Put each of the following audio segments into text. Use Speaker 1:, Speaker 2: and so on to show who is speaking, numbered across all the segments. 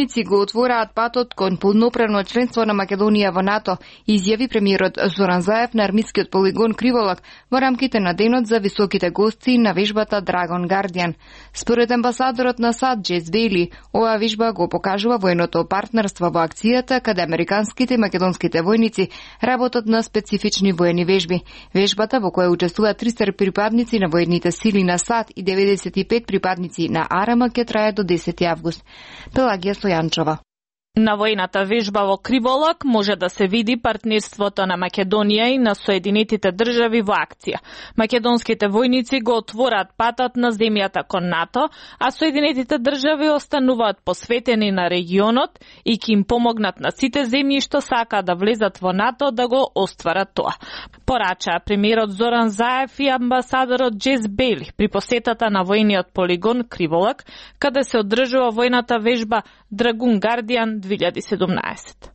Speaker 1: војници го отвораат патот кон полноправно членство на Македонија во НАТО, изјави премиерот Зоран Заев на армискиот полигон Криволак во рамките на денот за високите гости на вежбата Dragon Guardian. Според амбасадорот на САД Джес Бейли, оваа вежба го покажува војното партнерство во акцијата каде американските и македонските војници работат на специфични воени вежби. Вежбата во која учествуваат 300 припадници на воените сили на САД и 95 припадници на АРМ ќе трае до 10 август. Пелагија Стојанчова.
Speaker 2: На војната вежба во Криволак може да се види партнерството на Македонија и на Соединетите држави во акција. Македонските војници го отвораат патот на земјата кон НАТО, а Соединетите држави остануваат посветени на регионот и ќе им помогнат на сите земји што сакаат да влезат во НАТО да го остварат тоа. Порачаа премиерот Зоран Заев и амбасадорот Джес Бейли при посетата на војниот полигон Криволак, каде се одржува војната вежба Dragon Guardian 2017.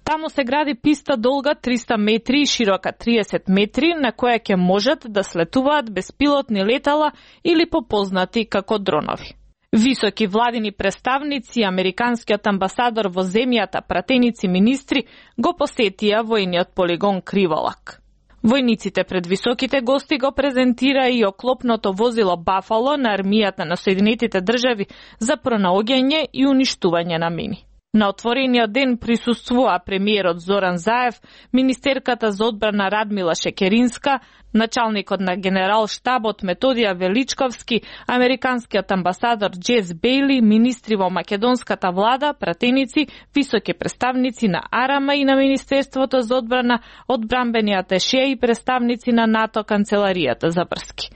Speaker 2: Таму се гради писта долга 300 метри и широка 30 метри, на која ќе можат да слетуваат беспилотни летала или попознати како дронови. Високи владини представници и американскиот амбасадор во земјата, пратеници министри, го посетија војниот полигон Криволак. Војниците пред високите гости го презентира и оклопното возило Бафало на армијата на Соединетите држави за пронаоѓање и уништување на мини. На отворениот ден присуствува премиерот Зоран Заев, министерката за одбрана Радмила Шекеринска, началникот на генерал штабот Методија Величковски, американскиот амбасадор Джес Бейли, министри во македонската влада, пратеници, високи представници на АРМ и на Министерството за одбрана, одбранбени аташе и представници на НАТО канцеларијата за врски.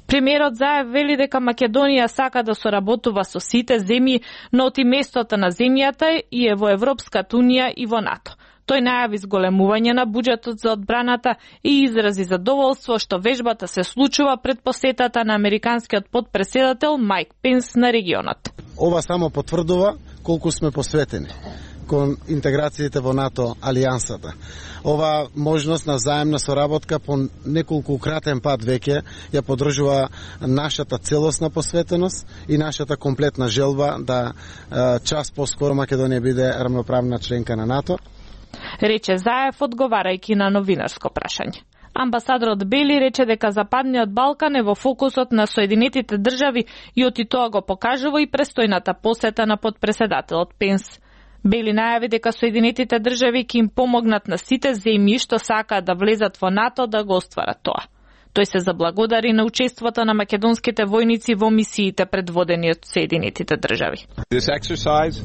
Speaker 2: Премиерот Заев вели дека Македонија сака да соработува со сите земји, но оти местото на земјата и е во Европската унија и во НАТО. Тој најави зголемување на буџетот за одбраната и изрази задоволство што вежбата се случува пред посетата на американскиот потпредседател Майк Пенс на регионот.
Speaker 3: Ова само потврдува колку сме посветени кон интеграциите во НАТО алијансата. Ова можност на заемна соработка по неколку кратен пат веќе ја поддржува нашата целосна посветеност и нашата комплетна желба да час поскоро Македонија биде рамноправна членка на НАТО.
Speaker 2: Рече Заев одговарајќи на новинарско прашање. Амбасадорот Бели рече дека Западниот Балкан е во фокусот на Соединетите држави и оти тоа го покажува и престојната посета на потпредседателот Пенс. Бели најави дека Соединетите држави ќе им помогнат на сите земји што сакаат да влезат во НАТО да го остварат тоа. Тој се заблагодари на учеството на македонските војници во мисиите предводени од Соединетите држави.
Speaker 4: This exercise